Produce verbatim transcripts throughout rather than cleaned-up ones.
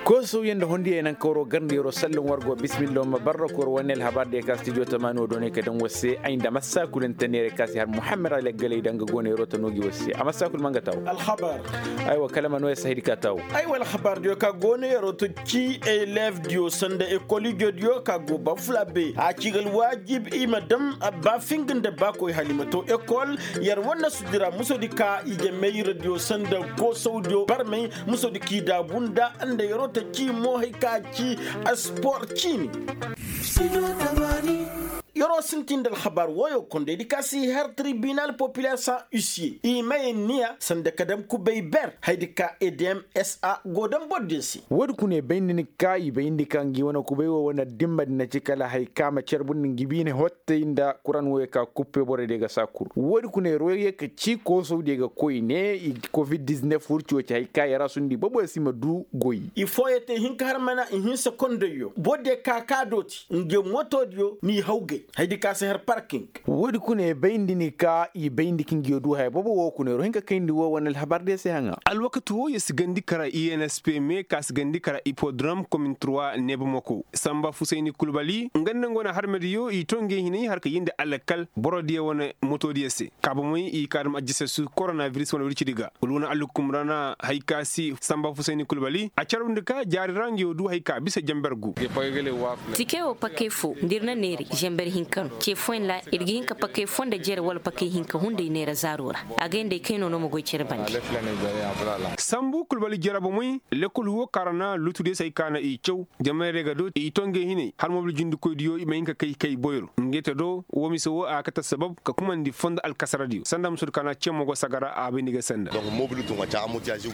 Koosawyaŋ nda hondiyey naŋ kawro garndi yeroo sallan war go bismillah ma barra kor wane alhabar diya ka stijo tamaani wo doonay ka daŋ war se ay nda massa kul nta neeray ka si har muhammad alaggalay da nga go neeroo ta noogi war se a massa kul ma nga taaw. Aywa kala ma nooya si haydi ka taaw. Aywa alhabar diyo ka go neeroo to ci eleef diyo sanda ekol ijo diyo ka go ba fula be a ci ga alwaajib i ma daŋ ba finga nda ba koy hala i ma to ekol. Yer wane sudira muso di ka ije mayra diyo sanda koosaw diyo barmay muso di k'i daabu nda nda yeroo ta ci mo hay ka ci spor ciini. Yeroo sintin nda alhabar wooyo kondey di ka si har tribinal populaire san huissier i maye niya sanda ka daŋ kubay ber hay di ka edm sa go daŋ boro din se. Woodi kuna i bay nda ni ka i bay nda ka ngi wane kubay wo wane dimma di na ci kala hay ka ma carbu nda ngi biine hottay nda kuran wooyo ka kuppe borey diyo ga saa kul woodi kuna yeroo ye ka ci koosow diyo ga koy ne i covid diznef furci wo ci hay ka yara sundi bobo si ma du goy. I fooyey te hinka har mana i hinsa kondayyo boro diyo ka ka dooti nge moto diyo n'i hawgay. Haydi ka si har parking. Woodi kuna i bayndi ni ka i bayndi ka ngiyo du haya bobo wo kuna yeroo hinka kayndi wo wane alhabar diyo se haŋa. Alwakati wo ye si gandi kara i n s p me ka si gandi kara ipodrom komin trois nebamako samba fusayni kulbali nga nda nga wane harmediyo i to ngey hinay har ka yindi alakal boro diyo wane moto diyo se. Kaabamey i kaadam ajjasay su koronabiris wane wircidi ga wala wane allukumra na hay ka si samba fusayni kulbali a carwndi ka jaari ra ngiyo du hay ka bisa jamber gu. Tikey wo pakey fo nda ir na neeray jamber hinka no ce fooyaŋ ra ir ga hin ka pakey fo nda jere wala pakey hinka hunday neera zaaro ra. A gay nda ay kayno no ma goy cere bande. Sambu kulbali jarabamey lekol huwo kaara na lutudiyo se hay ka na i caw. Jamayrey ga do i to ngey hinay har mobil jindikoydiyo i ma hin ka kay kay boyro ngey te do wo mise wo a ga kate sabab ka kumandi fondo alkasaradiyo sanda musudu ka na cemo go sagara a bay ni ga sanda.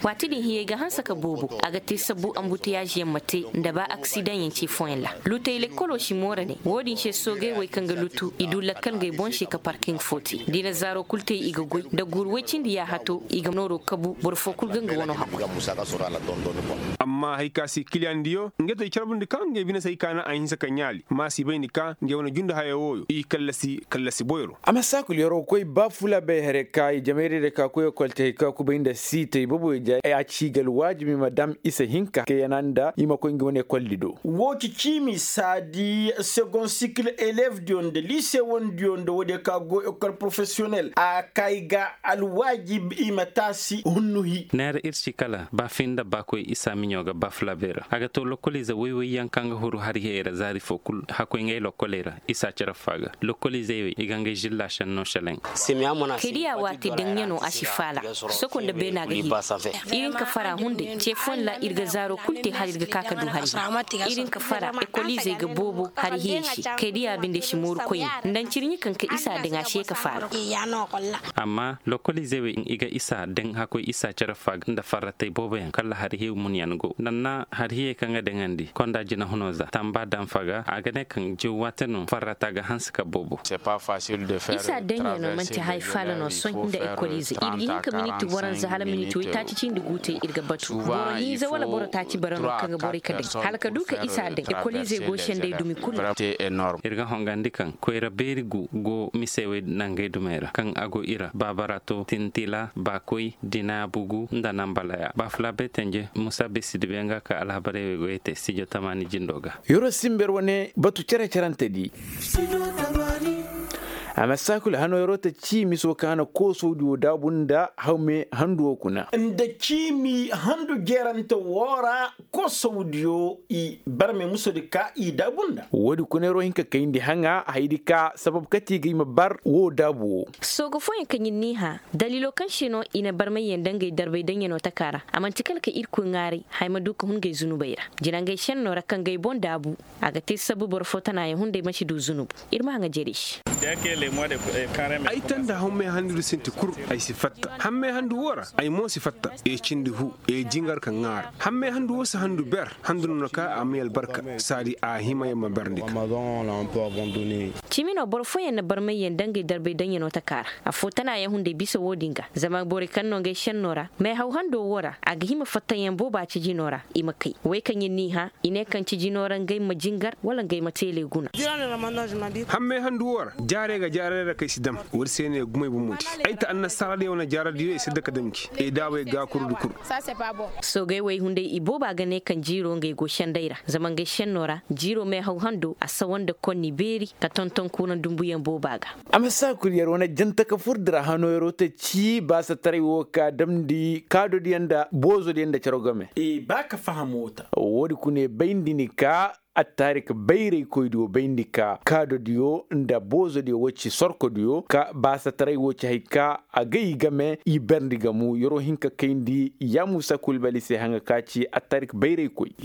Waati din hiyey ga hanse ka boobo a ga te sabbu ambutiyaaziyaŋ ma te nda ba aksidaŋyaŋ ce fooyaŋ ra. Lutey lekkolo si moora ne wo-din se soogey wey kaŋ ga lutu i du lakkal ngey boŋ se ka parkiŋ fo te da i na zaaro kul te i ga goy nda guuru woy cindi yaahato i ga nooro kabu boro fo kul ga nga wano hakoy. Amma hay ka si kiliyandiyo ngey te i carbundi ka ngey bine se hay ka na a hinse ka ɲaali ma si bay ni ka ngey wane jundi haya wooyo i kallasi kallasi boyro. A ma saakul yeroo koy ba fula bay hare ka i jamayray day ka koy ekol te hay ka kubay nda siitay boboy ja a ci ga alwaajibi ma dam isa hinka ka yana nda i ma koy nga wane ekoldi do. Woo ci ciimi saadi segon sikil eleevdiyo nda liise wandiyo nda woodiyo ka go ekol porofesiyonel a kay ga alwaajib i ma taasi hunnuhi. Neera ir ci kala ba fi nda ba koy isa miɲo ga ba fula bay ra a ga to lokoliize woy-woyyaŋ kaŋ ga huru hari hiyey ra zaari fo kul hakkoy ngay lokoley ra isa cere fo a ga. Lokoliizey wey i ga ngay žilla šenno šelaŋ. Kay diya waati daŋ ɲano a si faala soko nda beena ga hiri. Ir hin ka fara hunday ce fooyaŋ ra ir ga zaaro kul te hala ir ga ka ka du hari hiyey ir hin ka fara ekoliizey ga boobo hari hiyey se. Kay diya binde si mooru koyne nda ncirɲi kaŋ ka isa daŋ a si ye ka faala. Amma lokoliizey wey i ga isa daŋ hakkoy isa cere fo a ga nda farratey booboyaŋ kala hari hiyo munyaŋ go nda na hari hiyey kaŋ ga daŋandi konda jinahuno za tamba daŋ fo a ga a ga ne kaŋ jaw waate no farrata ga hanse ka boobo. Isa daŋyaŋo man'ti haya faala no sohõ nda ekoliizey ir ga hin ka miniti waranza hala miniti woytaaci cindi guutey ir ga batu boro hinza wala boro taaci bara no kaŋ ga borey ka daŋ hala ka du ka isa daŋ ekoliizey go sendey dumi kulu. Ir ga hongandi kaŋ koyra beeri gu go mise wey nangey dumey ra kaŋ a go i ra baabarato tintila baakoy dina bugu nda nambalaya baafula bay tenje musa besi dibe nga ka alhabarey wey goyey te sijo tamaani jindo ga. Yeroo simber wane batu cere-cerante di. A ma saakul hano yeroo ta ciimi soo ka hana koosowdi wo daabu nda hawme handu wo kuna. Nda ciimi handu jerante woo ra koosowdiyo i barme musodi ka i daabu nda. Woodi kuna yeroo hin ka kayndi haŋa haydi ka sabab kati ga i ma bar woo daabu wo. Sooga fooyaŋ kaŋ ir n'i hã daliilo kaŋ se no i na barmayyaŋ nda ngey darbay daŋyaŋo taka ra a man'ti kala ka irkoy ŋaaray haya ma du ka hun ngey zunubey ra jina ngey šennoo ra kaŋ ga ay boŋ daabu. A ga te sabu boro fo tanaayaŋ hunday ma si du zunubu. Ir ma haŋa jerey se. Ay tanda hammey handu di sinti kul ay si fatta hammey handu woo ra ay mo si fatta. Ee cindi hu ee jingar ka ŋaara hammey handu woo si handu ber handu no na ka a may albarka saadi a hima ya ma ber ndi ka. Cimi no boro fooyaŋ na barmayyaŋ nda ngey darbay daŋyaŋo taka ra. Affoo tanaayaŋ hunday bisa woo din ga zama borey kaŋ no ngey šennoo ra meehaw hando woo ra a ga hima fattayaŋ booba ci jinoo ra i ma kay wey kaŋ ir n'i hã i ne kaŋ ci jinoo ra ngey ma jingar wala ngey ma teeley guna. Hammey handu woo ra jaarey ga. Jaaradiyo ra kaŋ ay si dam, woodi se no ay gumay bomoti. Ay ta annasaaradiyo wane jaaradiyo ay si daka dam gi ay daabay gaakurudi kul. Soogey wey hunday ibooba ga ne kaŋ jiiro ngey go senday ra zama ngey senno ra jiiro meehaw hando a sawa nda konni beeri ka tonton kuuraŋ dumbuyaŋ booba ga. A ma saa kul yer wane janta ka fur dira hano yeroo ta ci baasataray wo ka damndi kaadodiyaŋ nda boozodiyaŋ nda caraw game. Ba ka faham wo ta. Woodi kuna bayndi ni ka attarik bayraykoydiyo bayndi ka kaadodiyo nda boozodiyo wo ci sorkodiyo ka baasataray wo ci hari ka a gay game i berndi gamu yeroo hin ka kayndi yaamusa kulbali se haŋa ka ci attarik bayraykoy.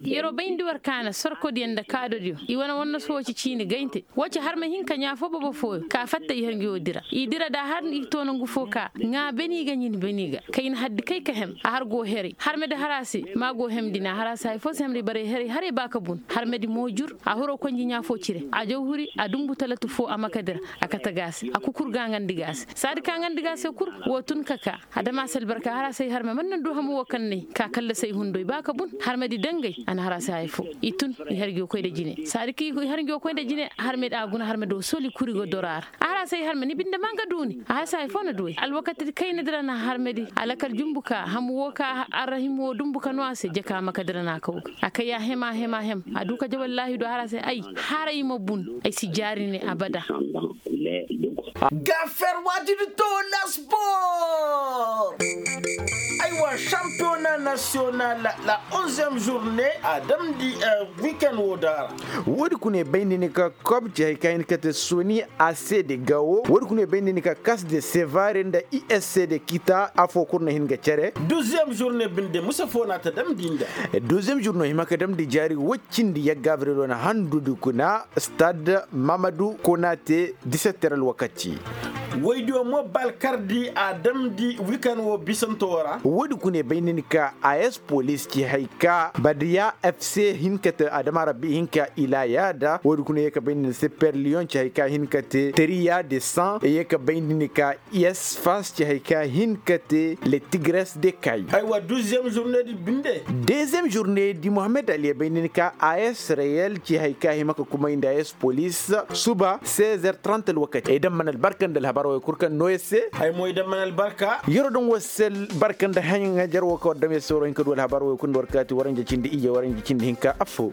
Yeroo bayndi war kaana sorkodiyo nda kaadodiyo i wane wannasu wo ci ciini gayntey. Wo ci har ma hin ka ɲaa foo bobo fooyo ka fatta i har ngi wo dira i dira da har i to nongu foo ka ŋaa beni ga ɲin beni ga kay na haddi kay ka hem a har go heray har ma di har a se ma go hemdi na har a se hari foo se hemdi baray heray haray ba ka bun har ma di mo jur a huro konji ɲaa foo cire a jaw huri a dumbu talatu foo a ma ka dira a kate ga a se a kukur ga a ŋandi ga a se saadi ka a ŋandi ga a se kul wo tun ka ka adama se albarka har a se ay har ma man na du hamu wo kaŋ na ay ka kalla se ay hundoy ba ka bun har ma di dangay a na har a se haya foo i tun i har ngi wo koy nda jine saadi ka i har ngi wo koy nda jine har ma di a guna har ma di wo soli kuri go doro a ra a har a se ay har ma ni binde ma nga duuni a har se haya foo na du ay alwakati kayna dira na har ma di a lakal jumbu ka hamu wo ka arrahim wo dumbu ka no a se jaka ma ka dira na kaw ga a kay a hem a hem a hem a du ka ja wallaahi du a har a se ay haray ma bun ay si jaari ne abada. Gafer waati di to la sport. Aywa, championnat national la onzième journée a damndi weekend wo daara. Woodi kuna bayndi ni ka kob ci hari ka hin ka te soni a se de gawo woodi kuna bayndi ni ka kas de sevare nda i s c de kita afo kul na hin ga cere. Douzième journée binde musa fo na ta damndi nda. Douzième journée hima ka damndi jaari woy cindi yagga abril wane handudi kuna stade mamadu konate disetter alwakati. Woydiyo mo balkardi a damndi wikan wo bisanto ra. Woodi kuna bay ni ni ka a s polis ci hay ka badiya f c hin ka te adama rabbi hin ka ila yaada woodi kuna ye ka bay ni ni se per lion ci hay ka hin ka te teriya de san ye ka bay ni ni ka i s fas ci hay ka hin ka te le tigres de kay. Aywa duzième journée di binde. Dezième journée di mohammed ali ye bay ni ni ka a s reyel ci hay ka hima ka kumay nda a s polis suba seize heures trente alwakati ay damman albarka nda alhabar wo kul kaŋ no ye se. Ay mo ay damman albarka. Yero daŋ wo se albarka nda haŋajer wo kaŋ war dam ye se waro hin ka du alhabar wo kul nda war kaati waranja cindi ije waranja cindi hinka affo.